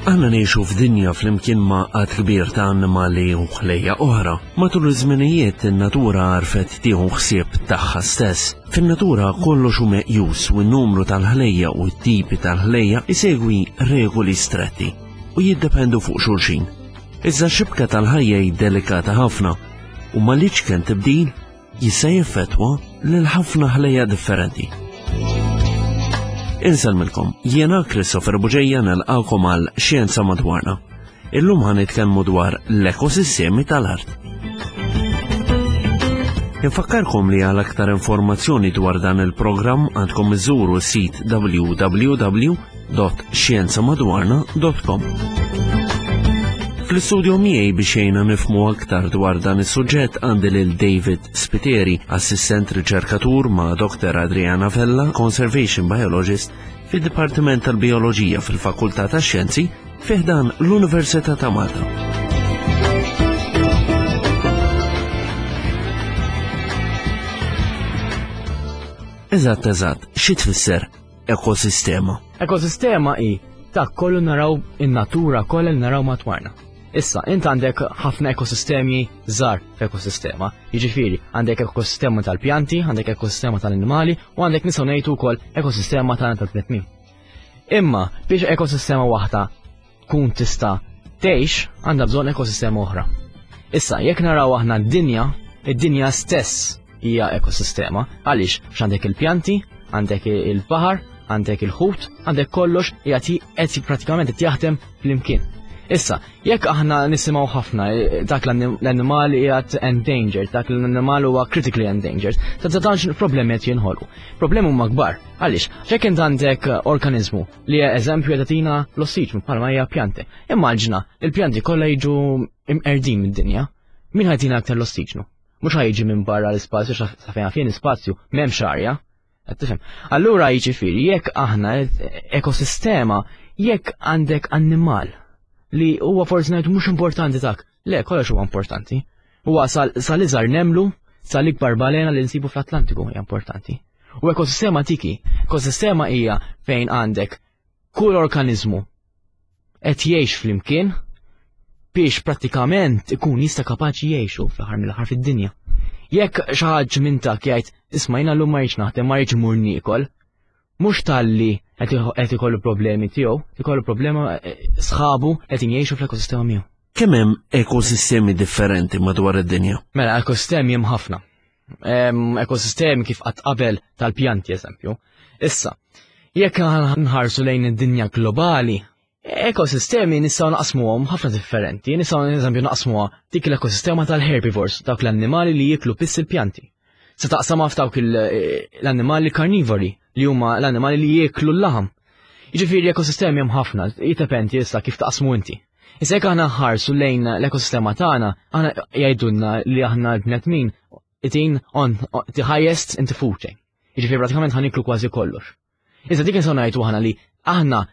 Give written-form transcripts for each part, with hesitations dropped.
Aħna ngħixu f'dinja flimkien ma' għadd kbir ta' annimali u ħlejja oħra. Matul iż-żminijiet in-natura għarfet tieħu ħsieb tagħha stess. Fin-natura kollox hu meqjus u n-numru tal-ħlejja u t-tipi tal-ħlejja isegwi regoli stretti u jiddependu fuq xulxin. Iżda xibka tal-ħajja hi delikata ħafna u mal-iċken tibdil jista' jeffettwa lil ħafna ħlejja differenti. Insellmilkom, jiena Christopher Buġeja nilqakom għal Xjenza Madwarna. Illum ħa nitkellmu dwar l-ekosistemi tal-art. Infakkarkom li għal aktar informazzjoni dwar dan il-programm għandkom iżuru s-sit www www.xjenzamadwarna.com Fl-istudio miegħi biex jgħinna nifmu aktar dwar dan is-suġġett għandi lil David Spiteri, assistent riċerkatur ma' Dr. Adriana Vella, Conservation Biologist fid-Dipartiment tal-Bioloġija fil-Fakultà tax-Xjenzi fi ħdan l-Università ta' Malta. Eżatt eżatt, xi tfisser ekosistema? Ekosistema hi ta' kollu naraw in-natura kollha li naraw matwarna. Issa, int għandek ħafna ekosistemi żgħar f'ekosistema. Jiġifieri, għandek ekosistema tal-pjanti, għandek ekosistema tal-annimali u għandek nistgħu ngħidu wkoll ekosistema tal-bnedmin. Imma biex ekosistema waħda tkun tista' tgħix għandha bżonn ekosistema oħra. Issa, jekk naraw aħna d-dinja, id-dinja stess hija ekosistema. Għaliex? Għax għandek il-pjanti, għandek il-baħar, għandek il-ħut, għandek kollox jagħti qed pratikament qed jaħdem flimkien. Issa, jekk aħna nisimgħu ħafna eh, dak l-annimal qiegħed endangered, dak l-annimal huwa critically endangered, ta' tantx problemi qed jinħolqu. Problemi huma kbar. Għaliex? Jekk int għandek organizmu li hija eżempju qed tagħtina l-ossiġnu bħalma hija pjanti. Immaġina il-pjanti kollha jiġu imqerdin mid-dinja. Min ħajtina aktar l-ossiġnu? Mhux ħajġi minn barra l-ispazju sa fejn fejn l-ispazju m'hemmx arja. Qed tifhem? Allura jiġifieri jekk aħna ekosistema jekk għandek annimal li huwa forsi ngħid mhux importanti dak, le kollox huwa importanti. Huwa sal-iżgħar nemlu sal-ikbar balena li nsibu fl-Atlantiku hija importanti. U ekosistema tiki, ekosistema hija fejn għandek kull organizmu qed jgħix flimkien biex prattikament ikun jista' kapaċi jgħixu fl-aħħar mill-aħħar fid-dinja. Jekk xi ħadd minn tak jgħid isma' jiena llum ma rridx naħdem ma rridx imur niekol, mhux talli qed ikollu problemi tiegħu, ikollu problema eh, sħabu qed jgħixu fl-ekosistema miegħu. Kemm hemm ekosistemi differenti madwar id-dinja? Mela, ekosistemi hemm ħafna. Ekosistemi kif qatt qabel tal-pjanti eżempju. Issa, jekk nħarsu lejn id-dinja globali, ekosistemi nistgħu naqsmuhom ħafna differenti. Nistgħu eżempju naqsmuha dik l-ekosistema tal-herbivores, dawk l-annimali li jiklu biss il-pjanti. Se taqsamha f'dawk l-annimali karnivori li huma l-annimali li jieklu l-laħam. Jiġifieri ekosistemi hemm ħafna, jiddependi issa kif taqsmu inti. Issa jekk aħna nħarsu lejn l-ekosistema tagħna, aħna jgħidulna li aħna l-bnedmin itin on the highest in the food chain. Jiġifieri pratikament ħaniklu kważi kollox. Issa dik nistgħu ngħidu aħna li aħna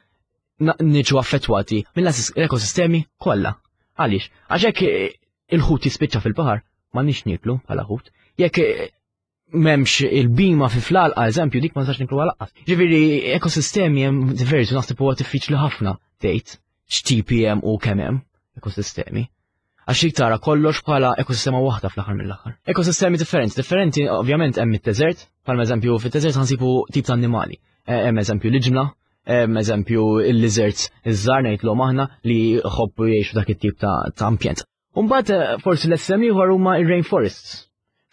niġu affettwati mill-ekosistemi kollha. Għaliex? Għax jekk il-ħut jispiċċa fil-baħar, ma nix niklu bħala ħut. Jekk memx il-bima fi fl-alqa, eżempju, dik ma nistax niklu għal Ġifieri ekosistemi hemm diversi, naħseb huwa diffiċli ħafna tgħid x'tipi hemm u kemm hemm ekosistemi. Għax jik tara kollox bħala ekosistema waħda fl-aħħar mill-aħħar. Ekosistemi differenti, differenti ovvjament hemm it-teżert, bħalma eżempju fit-teżert ħansibu tip ta' annimali. Eh, hemm eżempju l-iġmla, hemm eżempju il-lizards iż-żgħar ngħidlhom aħna li jħobbu jgħixu dak it-tip ta' ambjent. Umbagħad eh, forsi l-estrem ieħor huma ir-rainforests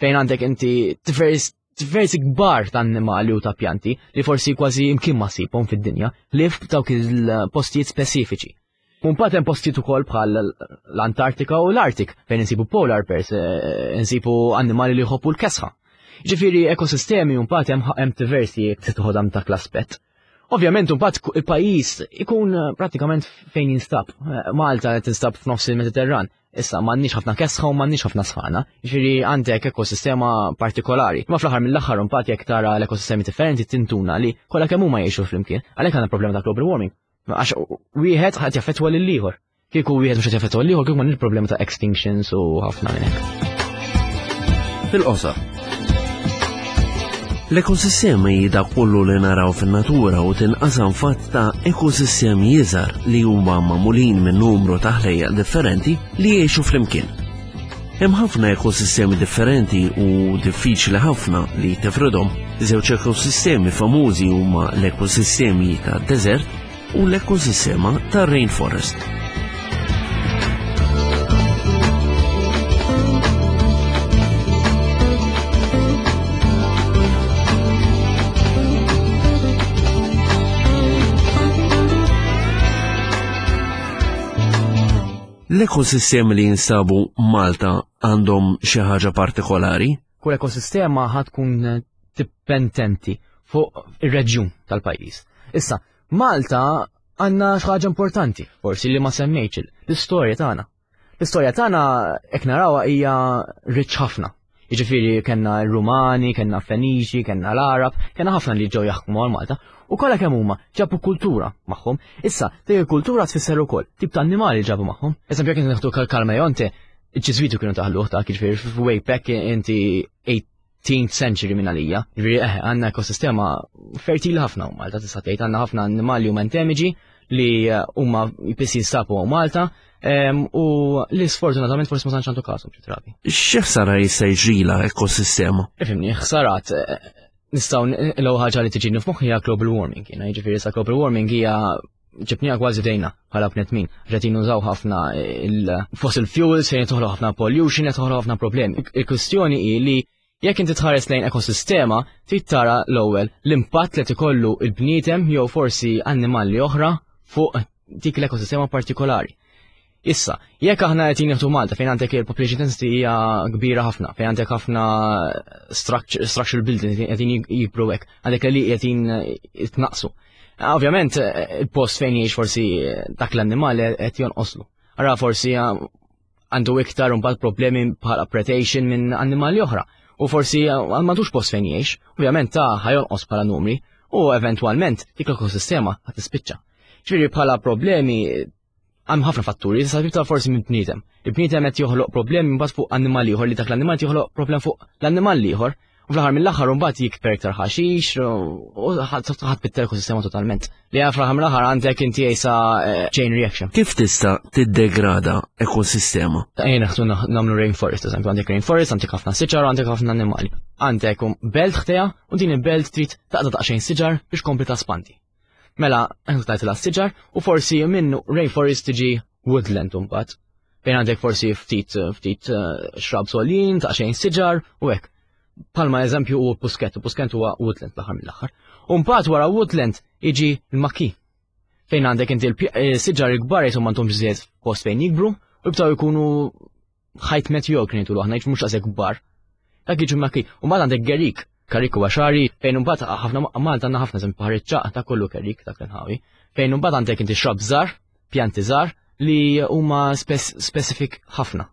fejn għandek inti diversi kbar ta' annimali u ta' pjanti li forsi kważi imkien ma ssibhom fid-dinja li f'dawk il-postijiet speċifiċi. Mbagħad hemm postijiet ukoll bħal l-Antartika u l-Artik fejn insibu polar bears, eh, insibu annimali li jħobbu l-kesħa. Ġifieri ekosistemi mbagħad hemm diversi jekk se toħodha dak l-aspett. Ovvjament, mbagħad il-pajjiż ikun eh, prattikament fejn jinstab. Eh, Malta qed tinstab f'nofs il-Mediterran. Issa m'għandniex ħafna kesħa u m'għandniex ħafna sħana. Ġifieri għandek ekosistema partikolari. Ma fl-aħħar mill-aħħar mbagħad jekk tara l-ekosistemi differenti tintuna li kollha kemm huma jgħixu flimkien. Għalhekk għandna problema ta' global warming. Għax wieħed ħadd jaffettwa lil ieħor. Kieku wieħed mhux qed jaffettwa l-ieħor kieku m'għandniex problema ta' extinctions u ħafna minn hekk. Fil-qosor. L-ekosistema hi dak kollu li naraw fin-natura u tinqasam fatt ta' ekosistemi iżgħar li huma magħmulin minn numru ta' ħlejjaq differenti li jgħixu flimkien. Hemm ħafna ekosistemi differenti u diffiċli ħafna li tifridhom. Żewġ ekosistemi famużi huma l-ekosistemi ta' deżert u l-ekosistema ta' rainforest. L-ekosistemi li jinsabu Malta għandhom xi ħaġa partikolari? Kull ekosistema ħa tkun dipendenti fuq ir-reġjun tal-pajjiż. Issa, Malta għandna xi ħaġa importanti, forsi li ma semmejtx l-istorja tagħna. L-istorja tagħna hekk narawha hija rich ħafna. Jiġifieri kellna r-Rumani, kellna Feniċi, kellna l-Arab, kellna ħafna li ġew jaħkmu għal Malta. U kollha kemm huma ġabu kultura magħhom. Issa, dik il-kultura tfisser ukoll tip ta' annimali ġabu magħhom. Eżempju jekk nieħdu Kalmajonte, il-Ġiżwiti kienu taħluh ta' jiġifieri f'way back inti 18th century minn għalija. Ġifieri eh, għandna ekosistema fertili ħafna u Malta tista' tgħid għandna ħafna annimali huma endemiċi li eh, huma jpiss jinsabu Malta u li sfortunatament forsi ma tantx għandu kasu xi drabi. Xi ħsara jista' jiġrila ekosistema? Ifhimni, ħsarat eh, nistgħu l-ewwel ħaġa li tiġini f'moħħi hija global warming, jiena jiġifieri sa global warming hija ġibnija kważi dejna bħala bnedmin. Qed nużaw ħafna il-fossil fuels fejn toħloq ħafna pollution, qed toħloq ħafna problemi. Il-kwistjoni hi li jekk inti tħares lejn ekosistema, trid tara l-ewwel l-impatt li ikollu il-bniedem jew forsi annimali oħra fuq dik l-ekosistema partikolari. Issa, jekk aħna qed nieħdu Malta fejn għandek il-population density hija kbira ħafna, fejn għandek ħafna structural building qegħdin jikbru hekk, għandek li qegħdin jitnaqsu. Ovvjament, il-post fejn jgħix forsi dak l-annimal qed jonqoslu. Ara forsi għandu iktar imbagħad problemi bħala predation minn annimali oħra. U forsi m'għandux post fejn jgħix, ovvjament ta' ħajonqos bħala numri u eventwalment dik l-ekosistema ħad tispiċċa. Ġifieri bħala problemi hemm ħafna fatturi, sa tibta forsi minn bniedem. Il-bniedem qed joħloq problemi mbagħad fuq annimal ieħor li dak l-annimal joħloq problem fuq l-annimal ieħor. U fl-aħħar mill-aħħar mbagħad jikber iktar ħaxix u ħadd bitter ekosistema totalment. Li fl-aħħar mill-aħħar għandek inti jisa eh, chain reaction. Kif tista' tiddegrada ekosistema? Ejja naħdu nagħmlu rainforest, eżempju għandek rainforest, għandek ħafna siġar, għandek ħafna annimali. Għandek um, belt ħteja u din il-belt trid taqta' daqsxejn siġar biex kompli taspandi. Mela, tajt siġar u forsi minn rainforest tiġi woodland imbagħad. Fejn għandek forsi ftit ftit eh, shrubs għolin, ta' xejn siġar u hekk. Palma eżempju u pusket, u pusket huwa woodland l-aħħar mill-aħħar. U mbagħad wara woodland jiġi l-maki. Fejn għandek inti l-siġar eh, il-kbar jisom m'għandhomx żied post fejn jikbru u jibtaw jkunu ħajt mediocre ngħidu aħna jiġu mhux daqshekk kbar. Dak jiġu maki. U mbagħad għandek Gerik, Karik huwa xari, fejn imbagħad ħafna Malta għandna ħafna eżempju baħar iċ-ċaq ta' kollu Kerik dak l-inħawi. Fejn imbagħad għandek inti xrab żgħar, pjanti żgħar li huma specific ħafna.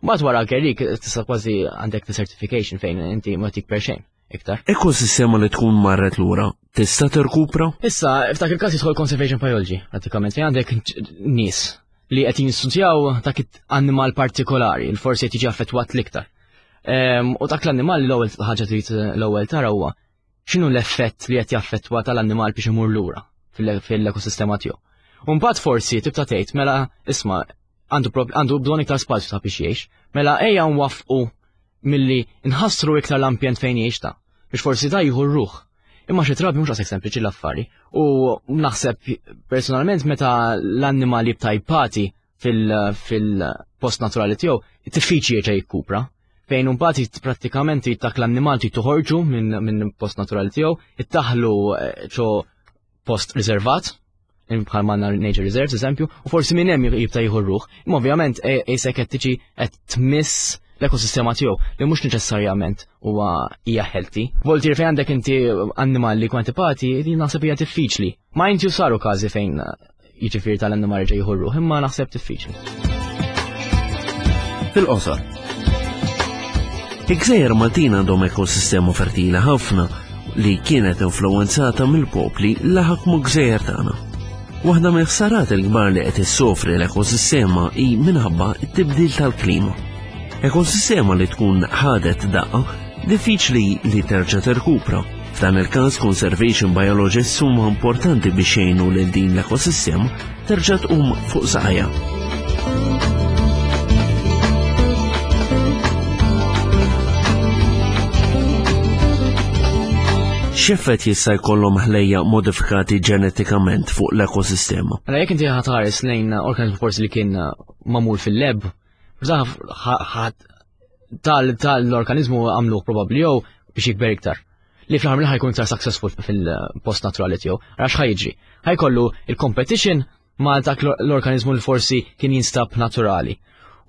Mbagħad wara Gerik tista' kważi għandek desertification fejn inti ma tikber xejn iktar. Ekosistema li tkun marret lura tista' tirkupra? Issa, f'dak il-każ jidħol conservation biology, pratikament fejn għandek nies li qed jistudjaw dak annimal partikolari, li forsi qed jiġi affettwat l-iktar. Ehm, u dak l-annimal l-ewwel ħaġa trid l-ewwel tara huwa x'inhu l-effett li qed jaffettwa tal-annimal biex imur lura fil-ekosistema tiegħu. U mbagħad forsi tibta tgħid mela isma' għandu għandu bżonn iktar spazju ta' biex jgħix, mela ejja nwaffqu milli nħassru iktar l-ambjent fejn jgħix ta' biex forsi da jieħu r-ruħ. Imma xi drabi mhux daqshekk sempliċi l-affari. U naħseb personalment meta l-annimal jibta jpati fil-post naturali tiegħu, diffiċli jerġa' jikkupra. Fejn imbagħad prattikament dak l-annimal trid toħorġu minn post naturali tiegħu, ittaħlu eh, ċo post riservat, bħal manna nature reserves eżempju, u forsi minn hemm jibta jieħu ruħ. Imma ovvjament qisek qed tiġi qed tmiss l-ekosistema tiegħu li mhux neċessarjament huwa hija healthy. Voltier fejn għandek inti annimal li kwantipati, din naħseb hija diffiċli. Ma inti saru każi fejn jiġifieri tal-annimal ġej jieħu ruħ, imma naħseb diffiċli. Fil-qosor. Il-gżejjer Maltin għandhom ekosistema fertili ħafna li kienet influwenzata mill-popli li ħakmu gżejjer tagħna. Waħda mill-ħsarat il-kbar li qed issofri l-ekosistema hi minħabba t-tibdil tal-klima. Ekosistema li tkun ħadet daqqa diffiċli li terġa' tirkupra. F'dan il-każ conservation biologists huma importanti biex jgħinu lil din l-ekosistema terġa' tqum fuq saqajha. X'effett jista' jkollhom ħlejja modifikati ġenetikament fuq l-ekosistema? Mela jekk inti ħatħares lejn organizmu forsi li kien magħmul fil-lab, tal-organizmu għamluh probabbli jew biex jikber iktar. Li fl-aħħar mill ħajkun iktar successful fil-post naturali tiegħu. Għax ħajġri. Ħajkollu il-competition ma' dak l-organizmu li forsi kien jinstab naturali.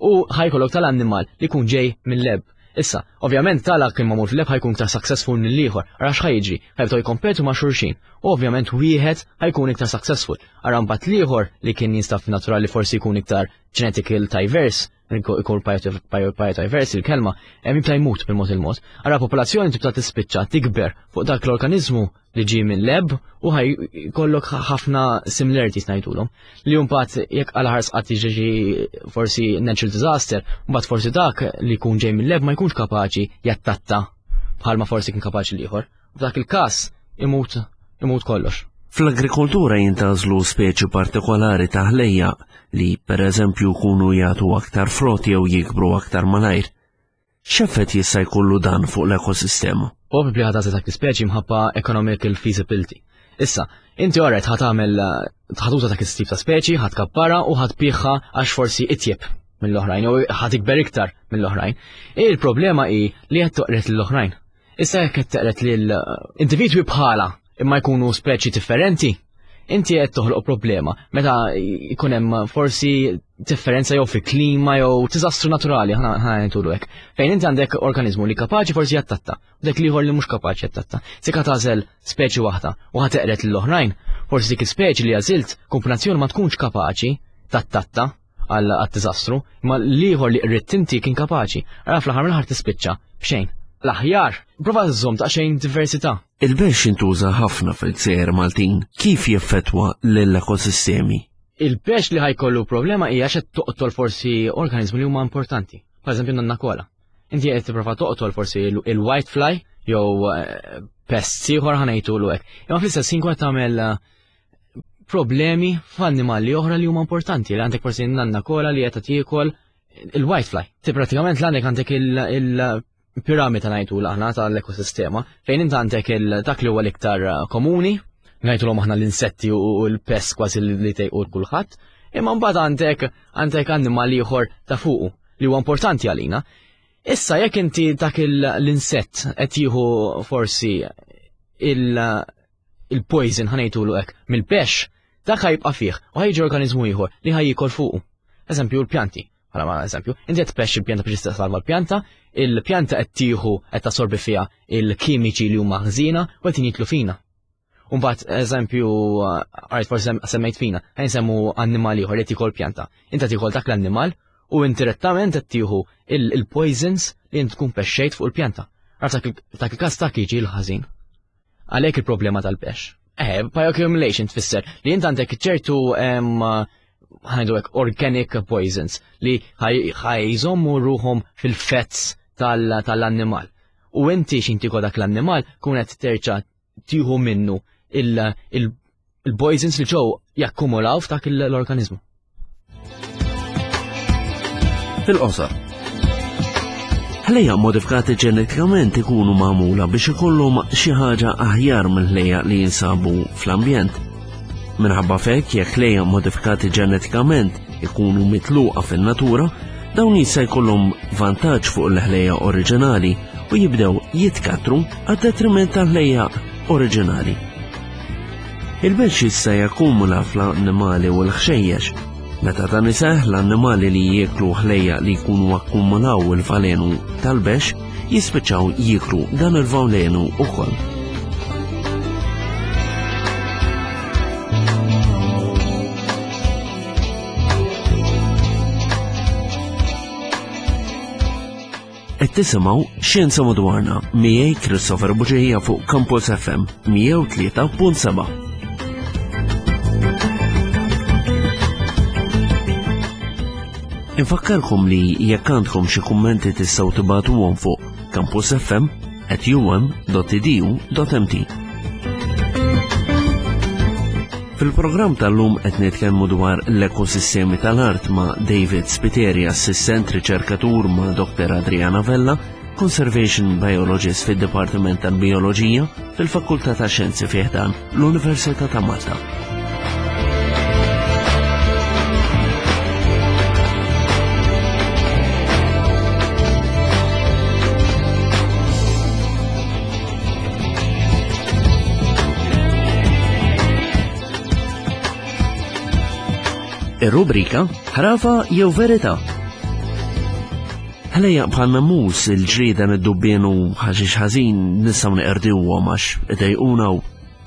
U ħajkollok tal-annimal li jkun ġej mill-lab. Issa, ovvjament tala kien magħmul fil-lab ħajkun iktar successful mill-ieħor, għax ħajġri, ħajbdew jkompetu ma' xulxin. U ovvjament wieħed ħajkun iktar successful. Ara mbagħad l-ieħor li kien jinstab naturali forsi jkun iktar genetical diverse, ikun biodiverse il-kelma, hemm jibda jmut bil-mod il-mod. Ara popolazzjoni tibda tispiċċa tikber fuq dak l-organizmu li ġie minn lab u ħaj kollok ħafna similarities ngħidulhom. Li mbagħad jekk għal ħars qatt jiġi forsi natural disaster, mbagħad forsi dak li jkun ġej minn lab ma jkunx kapaċi jattatta bħalma forsi kien kapaċi l-ieħor. F'dak il-każ imut imut kollox. Fl-agrikoltura jintgħażlu speċi partikolari ta' ħlejjaq li pereżempju jkunu jagħtu aktar frott jew jikbru aktar malajr. X'effett jista' jkollu dan fuq l-ekosistema? Probabbli ħa tagħżel dak l-ispeċi mħabba economical feasibility. Issa, inti orret ħa tagħmel ħa tuża dak is-tip ta' speċi, ħa tkabbarha u ħa tbigħha għax forsi itjeb mill-oħrajn jew ħa tikber iktar mill-oħrajn. Il-problema hi li qed toqret lill-oħrajn. Issa jekk qed teqret lil individwi bħala imma jkunu speċi differenti, inti qed toħloq problema meta jkun hemm forsi differenza jew fi klima jew diżastru naturali ħa ngħidulu hekk. Fejn inti għandek organizmu li kapaċi forsi jattatta, u dak l-ieħor li mhux kapaċi jattatta. Sika tagħżel speċi waħda u ħa teqret lill-oħrajn, forsi dik is-speċi li għażilt kombinazzjoni ma tkunx kapaċi tattatta għal-diżastru, imma l-ieħor li qridt inti kien kapaċi. Ara fl-aħħar mill-aħħar tispiċċa b'xejn. L-aħjar, prova żżomm daqsxejn diversità. Il-bexx intuża ħafna fil-gżejjer Maltin. Kif jeffettwa lill-ekosistemi? Il-bexx li ħajkollu problema hija x'qed toqtol forsi organizmi li huma importanti. Per eżempju nannakola. Inti qed tipprova toqtol forsi il-white fly jew eh, pests ieħor ħanejtulu hekk. Imma fl-istess ħin tagħmel eh, problemi f'annimali oħra li huma importanti li għandek forsi nanna kola li qed tiekol il-white fly. Ti pratikament l-għandek għandek il-piramida ngħidu aħna tal-ekosistema fejn inti għandek dak li huwa l-iktar eh, komuni, ngħidulhom aħna l-insetti u l-pest kważi li tejqu kulħadd, imma mbagħad għandek għandek annimali ieħor ta' fuqu li huwa importanti għalina. Issa jekk inti dak l-insett qed jieħu forsi il- il-poison ħanejtulu hekk mill-pex, dak ħajbqa' fih u ħajġi organizmu ieħor li ħajjikol fuqu. Eżempju l-pjanti. Bħala ma eżempju, inti qed tpexx il-pjanta biex salva l-pjanta, il-pjanta qed tieħu qed tassorbi fiha il-kimiċi li huma ħżiena u qed jitlu fina. Umbagħad eżempju, għajt forsi semmejt fina, ħajn semmu annimal ieħor li tiekol pjanta. Inta tiekol dak l-annimal u indirettament qed tieħu il-poisons li int tkun pexxejt fuq il-pjanta. Għarf dak il-każ dak jiġi l-ħażin. Għalhekk il-problema tal-pex. Eh, bioaccumulation tfisser li int għandek ċertu ħajdu hekk organic poisons li ħajżommu ruhom fil-fets tal-annimal. U inti xinti dak l-annimal kun qed terġa' tieħu minnu il-poisons li ġew jakkumulaw f'dak l-organizmu. Fil-qosor. Ħlejja modifikati ġenetikament ikunu magħmula biex ikollhom xi ħaġa aħjar minn ħlejja li jinsabu fl-ambjent. Minħabba f'hekk jekk ħlejja modifikati ġenetikament ikunu mitluqa fin-natura, dawn jista' jkollhom vantaġġ fuq l-ħlejja oriġinali u jibdew jitkattru għad-detriment tal-ħlejja oriġinali. Il-bexx jista' jakkumula fl-annimali u l-ħxejjex. Meta dan iseħħ, l-annimali li jieklu ħlejjaq li jkunu akkumulaw il-valenu tal-bexx jispiċċaw jieklu dan il-valenu ukoll. Qed tisimgħu Xjenza Madwarna miegħi Christopher Buġeja fuq Campus FM 103.7. Infakkarkom li jekk għandkom xi kummenti tistgħu tibagħtuhom fuq campusfm@um.edu.mt. Fil-programm tal-lum qed nitkellmu dwar l-ekosistemi tal-art ma' David Spiteri, assistent riċerkatur ma' Dr. Adriana Vella, Conservation Biologist fid-Dipartiment tal-Bioloġija fil-Fakultà ta' Xjenzi fi ħdan l-Università ta' Malta. Ir-rubrika Ħrafa jew Verità. Ħlejjaq bħal nemus il-ġrieden id-dubbien u ħaxix ħażin nistgħu neqerdiwhom għax idejquna u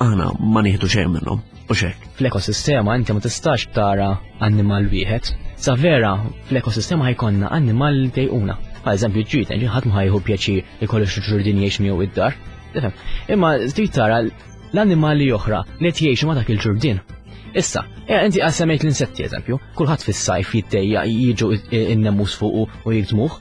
aħna ma nieħdu xejn minnhom. U xek. Fl-ekosistema inti ma tistax tara annimal wieħed. Sa vera fl-ekosistema ħajkonna annimal li dejquna. Per eżempju ġrieden, ħadd ma ħajħu pjaċir ikollu xi ġurdin jgħix miegħu id-dar. Tifhem? Imma trid tara l-annimali oħra li qed jgħixu ma' dak il-ġurdien. Issa, eh, inti għal semmejt l-insetti eżempju, kulħadd fis-sajf jittejja jiġu in-nemus fuqu u jikdmuh.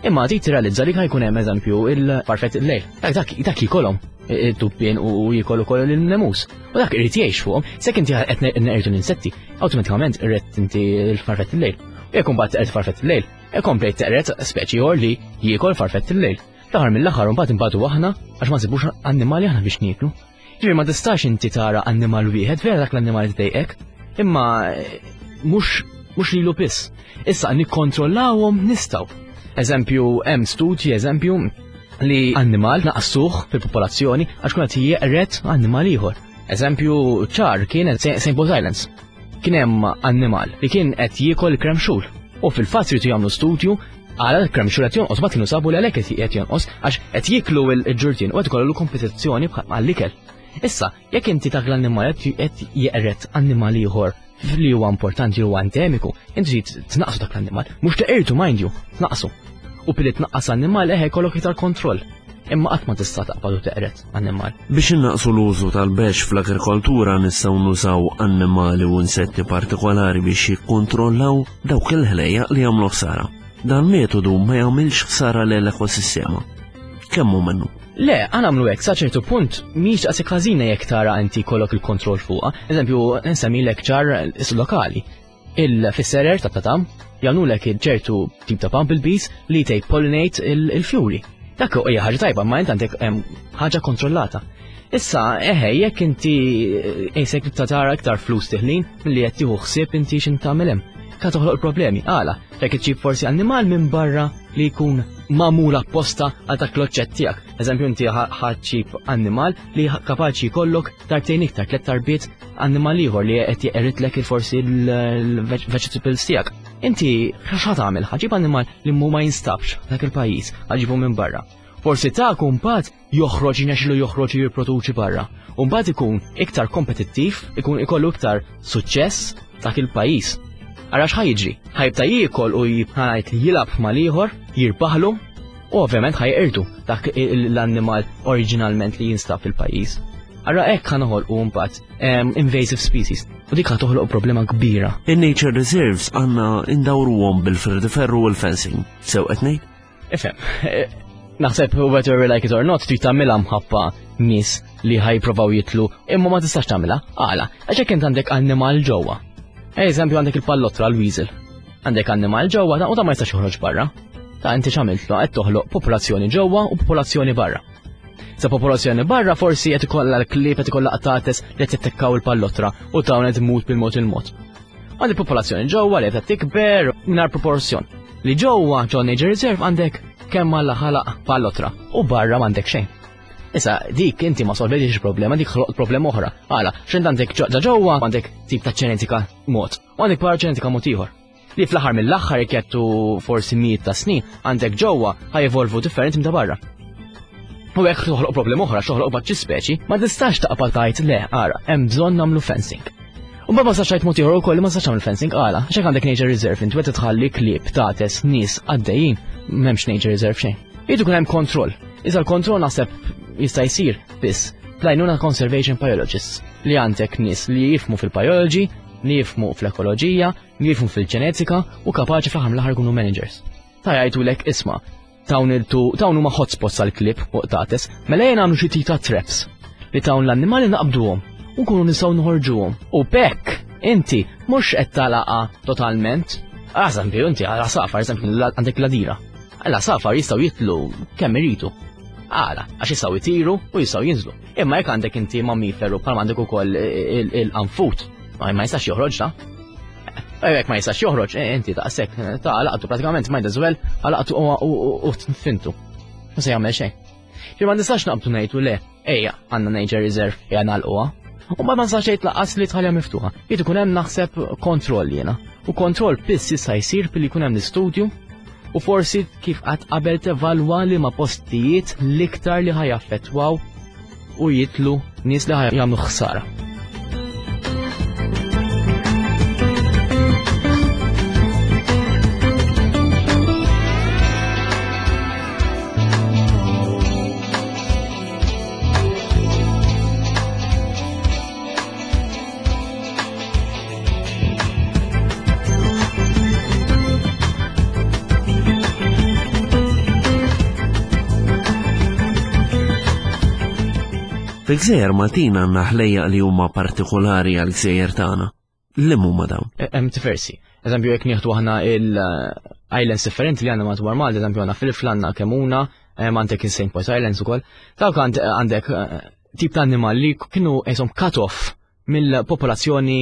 Imma trid tirrealizza li ħajkun hemm eżempju il-farfett il-lejl. Dak dak jikolhom id-dubbien u jikol ukoll il-nemus. U dak irid jgħix fuqhom, sekk inti qed neqirdu l-insetti, awtomatikament irrid inti l-farfett il-lejl. U jekk imbagħad teqred farfett il-lejl, ikompli teqred speċi ieħor li jiekol farfett il-lejl. Fl-aħħar mill-aħħar imbagħad inbatu aħna għax ma nsibux annimali aħna biex nieklu. Ġifieri ma tistax inti tara annimal wieħed, vera dak l-annimal tdejqek, imma eh, mhux mhux lilu biss. Issa nikkontrollawhom nistgħu. Eżempju, hemm studji eżempju li annimal naqsuh fil-popolazzjoni għax kun qed jeqret annimal ieħor. Eżempju ċar kien St. Paul's Islands. Kien hemm annimal li kien qed jiekol kremxul. U fil-fatt jridu jagħmlu studju Għala l-kremxul qed jonqos, ma kienu sabu li għalhekk qed jonqos għax qed jiklu l-ġurtien u qed ikollu kompetizzjoni għall-ikel. Issa, jekk inti dak l-annimal qed jeqret annimal ieħor li huwa importanti huwa endemiku, inti trid tnaqsu dak l-annimal, mhux teqirtu mind you, tnaqsu. U billi tnaqqas annimal eħe jkollok iktar kontroll. Imma qatt ma tista' taqbad u teqret annimal. Biex innaqsu l-użu tal-bexx fl-agrikoltura nistgħu nużaw annimali u insetti partikolari biex jikkontrollaw dawk il-ħlejjaq li jagħmlu ħsara. Dan metodu ma jagħmilx ħsara lill-ekosistema. Kemm hu minnu? Le, għan għamlu hekk sa ċertu punt mhix daqshekk ħażina jekk tara inti kollok il-kontroll fuqha. Eżempju, nsemmilek ċar is lokali. Il-fisserer ta' tatam jagħmlulek ċertu tip ta' bumblebees li tej pollinate il-fjuri. Dak hija ħaġa tajba, ma int għandek ħaġa kontrollata. Issa, eħe, jekk inti qisek eh, ta' tara iktar flus tiħlin milli qed tieħu ħsieb inti x'int tagħmel hemm. Ka toħloq problemi, għala, jekk iġġib forsi annimal minn barra li jkun magħmul apposta għal dak l-oġġett tiegħek. Eżempju inti ħaġġib annimal li kapaċi jkollok darbtejn iktar, tliet darbiet annimal ieħor li qed jeqritlek forsi l-vegetables tiegħek. Inti x'ħa tagħmel? Ħaġib annimal li mu ma jinstabx dak il-pajjiż, ħaġibu minn barra. Forsi ta' kumpat joħroġ jinexxilu joħroġ u jirproduċi barra. U mbagħad ikun iktar kompetittiv, ikun ikollu iktar suċċess dak il-pajjiż. Ara x'ħa jiġri? Ħajbta jiekol u jibħajt jilgħab mal-ieħor, jirbaħlu u ovvjament ħajqirdu dak l-annimal oriġinalment li jinstab fil-pajjiż. Ara hekk ħa noħolqu mbagħad invasive species u dik ħa toħloq problema kbira. In-nature reserves għandna indawruhom bil-ferdiferru u l-fencing. Sew qed ngħid? Ifhem, naħseb whether we like it or not trid tagħmilha mħabba nies li ħajprovaw jitlu imma ma tistax tagħmilha. Għala, għax jekk int għandek annimal ġewwa. Eżempju għandek il-pallotra l-weasel. Għandek annimal ġewwa ta' u ta' ma jistax joħroġ barra. Ta' inti x'għamiltlu qed toħloq popolazzjoni ġewwa u popolazzjoni barra. Sa popolazzjoni barra forsi qed ikollha l-klieb qed ikollha qtates li qed jattakkaw il-pallotra u dawn qed imut bil-mod il-mod. Għandi popolazzjoni ġewwa li qed tikber mingħajr proporzjon. Li ġewwa ġo Nature Reserve għandek kemm alla ħalaq pallotra u barra m'għandek xejn. Issa dik inti ma solvejtix problema, dik ħloqt problema oħra. Għala, x'int għandek ġewwa għandek tip ta' ġenetika mod, u għandek barra ġenetika mod ieħor. Li fl-aħħar mill-aħħar jekk jattu forsi mijiet ta' snin, għandek ġewwa ħajevolvu differenti minn ta' barra. U hekk toħloq problema oħra, toħloq baċċi speċi, ma tistax taqbad tgħid le, ara, hemm bżonn nagħmlu fencing. U ma tistax tgħid mod ieħor ukoll ma tistax tagħmel fencing għala, għax għandek nature reserve inti qed tħalli klieb, tates, nies għaddejjin, m'hemmx nature reserve xejn. Irid ikun hemm kontroll. Iżda l-kontroll naħseb jista' jsir biss bl-għajnuna conservation biologists li għandek nies li jifmu fil-biology, li jifmu fl-ekoloġija, li jifmu fil-ġenetika u kapaċi fl-aħħar mill-aħħar ikunu managers. Ta' jgħidulek isma' Dawn il-tu dawn huma hotspots għall-klieb u qtates, mela ejja nagħmlu xi tip ta' traps li dawn l-annimali naqbduhom u nkunu nistgħu noħorġuhom. U b'hekk inti mhux qed tagħlaqha totalment. Eżempju, inti għal għasafar, eżempju, għandek l-għadira. L-għasafar jistgħu jitlu kemm iridu. Għala, għax jistgħu jtiru u jistgħu jinżlu. Imma jekk għandek inti mammiferu bħal għandek ukoll il-qanfut, ma jistax joħroġ da. Jekk ma jistax joħroġ, eh, inti daqshekk eh, ta' laqtu pratikament might as well għalaqtu u tfintu. Ma se jagħmel xejn. Ġi ma nistax naqbdu ngħidu le, ejja għandna nature reserve ejja nagħlquha. U ma nistax ngħid laqas li tħallha miftuħa. Jrid ikun hemm naħseb kontroll jiena. U kontroll biss jista' jsir billi jkun hemm l-istudju u forsi kif qatt qabel tevalwa li ma postijiet l-iktar li ħajaffettwaw u jitlu nies li jagħmlu ħsara. Fil-gżejjer Maltin għandna ħlejjaq li huma partikolari għal gżejjer tagħna. Li huma dawn? E, hemm diversi. Eżempju jekk nieħdu aħna il-islands differenti li għandna madwar Malta, eżempju għandna fil-Flanna, għandna Kemuna, għandek il-St. Paul's Islands ukoll. Dawk għandek eh, tip ta' annimal li kienu jisom cut off mill-popolazzjoni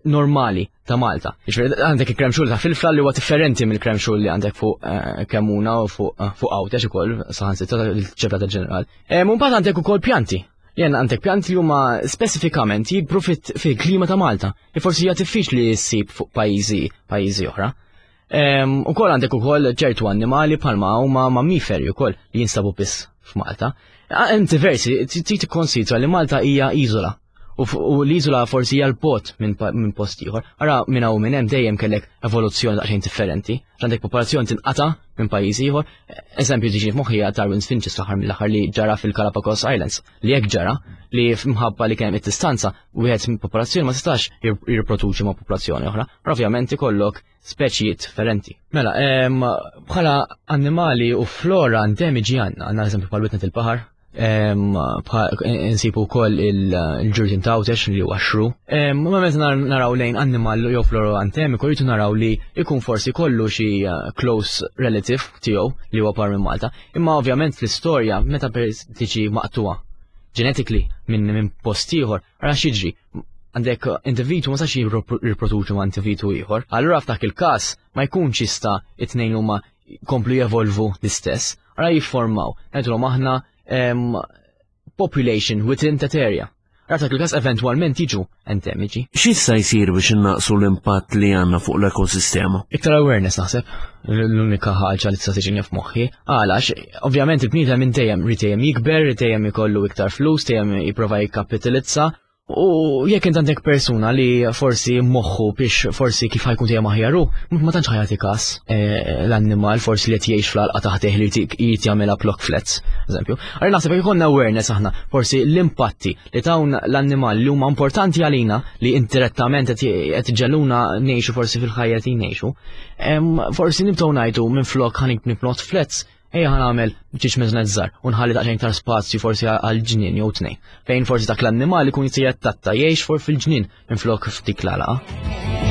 normali ta' Malta. Jiġifieri għandek il-krem ta' filfla li huwa differenti mill-krem li għandek fuq eh, Kemuna u fuq eh, fuq Għawdex ukoll saħansitra l-ċebla tal-ġeneral. Eh, mbagħad għandek ukoll pjanti. Jien għandek pjanti li huma speċifikament jikbru fil-klima ta' Malta. Li forsi hija diffiċli ssib fuq pajjiżi pajjiżi oħra. U kol għandek ukoll ċertu annimali bħalma huma mammiferi ukoll li jinsabu biss f'Malta. Hemm diversi, trid tikkonsidra li Malta hija iżola. U l-iżola forsi hija l-bot minn post ieħor. Ara minn hawn minn hemm dejjem kellek evoluzzjoni daqsxejn differenti. Għandek popolazzjoni tinqata' minn pajjiż ieħor. Eżempju tiġi f'moħħi hija Darwin's Finches fl-aħħar mill-aħħar li ġara fil-Galapagos Islands. Li hekk ġara li mħabba li kien hemm id-distanza wieħed minn popolazzjoni ma tistax jirriproduċi ma' popolazzjoni oħra. Ovvjament ikollok speċijiet differenti. Mela, bħala annimali u flora endemiġi għandna, għandna eżempju bħal witnet il-baħar, nsibu wkoll il-ġurdin tawtex li huwa xru. Ma meta naraw lejn annimal jew flora endemiku rridu naraw li jkun forsi kollu xi eh, close relative tiegħu li huwa par minn Malta. Imma ovvjament fl-istorja meta tiġi maqtuha genetically minn post ieħor, ara x'jiġri għandek individu ma sax jirriproduċu ma' individu ieħor. Allura f'dak il-każ ma jkunx jista' it-tnejn huma jkomplu jevolvu l-istess. Ara jifformaw, ngħidulhom aħna population within that area. Ara f'dak il-każ eventwalment jiġu endemiċi. X'jista' jsir biex innaqsu l-impatt li għandna fuq l-ekosistema? Iktar awareness naħseb, l-unika ħaġa li tista' tiġini f'moħħi. Għalax, ovvjament il-bniedem minn dejjem rid dejjem jikber, rid dejjem ikollu iktar flus, dejjem jipprova jikkapitalizza. U jekk int għandek persuna li forsi moħħu biex forsi kif ħajkun dejjem aħjar hu, ma tantx ħajati każ eh, l-annimal forsi li qed jgħix fl-għalqa taħt li jrid jagħmilha block flats, eżempju. Għalli naħseb jekk ikollna awareness aħna forsi l-impatti li dawn l-annimal li huma importanti għalina li indirettament qed iġegħluna ngħixu forsi fil-ħajja qed ngħixu, forsi nibdew ngħidu minflok ħa nibnot flats ejja ħa nagħmel ġiex miżnet żgħar u nħalli daqsxejn iktar spazju forsi għal ġnien jew tnejn. Fejn forsi dak l-annimal ikun jista' jattatta jgħix for fil-ġnien minflok f'dik l-għalaqa.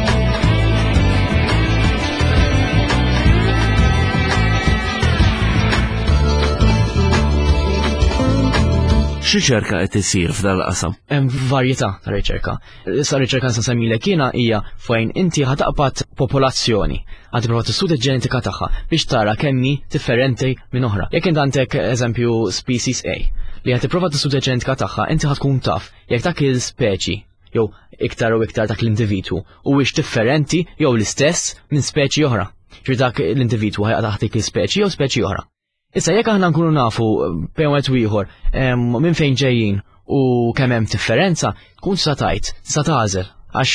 X'riċerka qed isir f'dal-qasam? Hemm varjetà ta' riċerka. Issa riċerka nsa semmilek jiena hija fejn inti ħataqbad popolazzjoni, għad tipprova tistudja ġenetika tagħha biex tara kemm hi differenti minn oħra. Jekk int għandek eżempju species A li qed tipprova tistudja ġenetika tagħha, inti ħad tkun taf jekk dak il-speċi jew iktar u iktar dak l-individwu huwiex differenti jew l-istess minn speċi oħra. Ġifieri dak l-individwu ħajqa taħt dik il-speċi jew speċi oħra. Issa jekk aħna nkunu nafu bejn wieħed u ieħor minn fejn ġejjin u kemm hemm differenza, tkun tista' tgħid, tista' tagħżel. Għax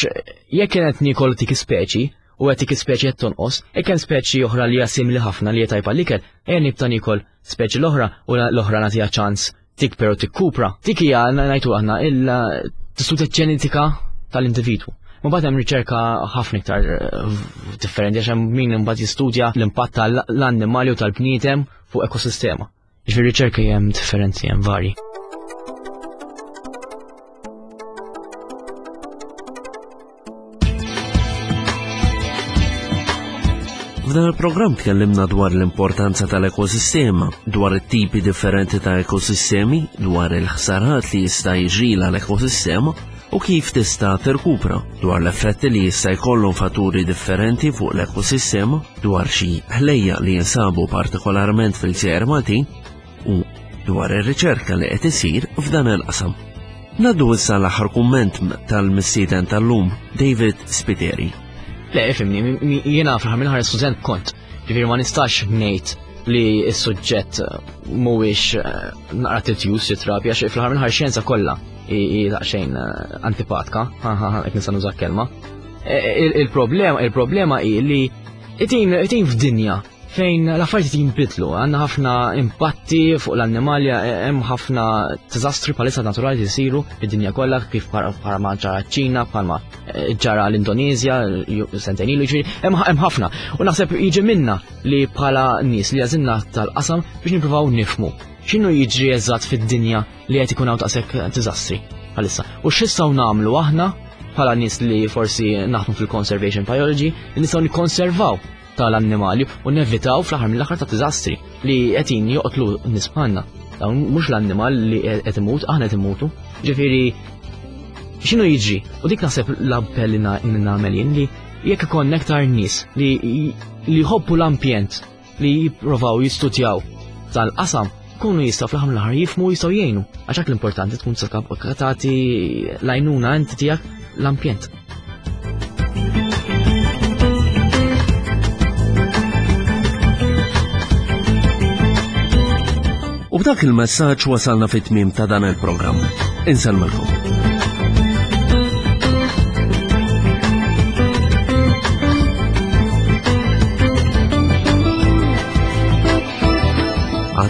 jekk kienet niekol dik ispeċi u qed dik ispeċi qed tonqos, jekk hemm speċi oħra li hija simili ħafna li hija tajba l-ikel, ejja nibda niekol speċi l-oħra u l-oħra nagħtiha ċans tikber u tikkupra. Dik hija ngħidu aħna il-tistudja ġenetika tal-individwu. Ma mbagħad hemm riċerka ħafna iktar eh, differenti għax hemm min imbagħad jistudja l-impatt tal-annimali u tal-bniedem fuq ekosistema. Ġifieri riċerka hemm differenzi hemm varji. F'dan il-programm tkellimna dwar l-importanza tal-ekosistema, dwar it-tipi differenti ta' ekosistemi, dwar il-ħsarat li jista' jiġrila l-ekosistema u kif tista' tirkupra, dwar l-effetti li jista' jkollhom fatturi differenti fuq l-ekosistema, dwar xi ħlejjaq li jinsabu partikolarment fil-gżejjer Maltin u dwar ir-riċerka li qed isir f'dan il-qasam. Naddu issa l-aħħar kumment tal-mistieden tal-lum, David Spiteri. Le, ifimni, jiena fl-aħħar mill-aħħar student kont. Ġifieri ma nistax ngħid li s-suġġett mhuwiex eh, naqra titjus jitrabi għax fl-aħħar mill-aħħar xjenza kollha hi daqsxejn eh, antipatka, qed nista' nuża kelma. Eh, il-problema il-problema hi li itin f'dinja fejn l-affarijiet jinbidlu, għandna ħafna impatti fuq l-annimali, hemm ħafna diżastri bħalissa naturali li jsiru fid-dinja kollha kif bħalma ġara ċ-Ċina, bħalma eh, ġara l-Indonezja sentejn ilu, jiġifieri hemm ħafna. U naħseb jiġi minna li bħala nies li għażilna tal-qasam biex nippruvaw nifhmu x'inhu jiġri eżatt fid-dinja li qed ikun hawn daqshekk diżastri bħalissa. U x'nistgħu nagħmlu aħna bħala nies li forsi naħdmu fil-conservation biology li nistgħu nikkonservaw tal-annimali u nevitaw fl-aħħar mill-aħħar ta' diżastri li qed joqtlu nies bħalna. Dawn mhux l-annimal li qed imut, aħna qed immutu. Ġifieri x'inhu jiġri? U dik naħseb l-appell li nagħmel jien li jekk ikollna aktar nies li jħobbu l-ambjent li jipprovaw jistudjaw tal-qasam kunu jistgħu fl-aħħar mill-aħħar jifhmu jistgħu jgħinu. Għax hekk l-importanti tkun tagħti l-għajnuna inti tiegħek l-ambjent. U b'dak il-messaġġ wasalna fit-tmiem ta' dan il-programm. Insellmilkom.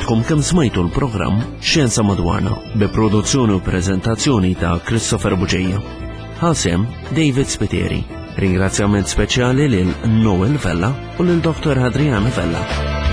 Għadkom kemm smajtu l-programm Xjenza Madwarna bi produzzjoni u prezentazzjoni ta' Christopher Buġeja. Ħasem David Spiteri. Ringrazzjament speċjali lil Noel Vella u lil Dr. Adriana Vella.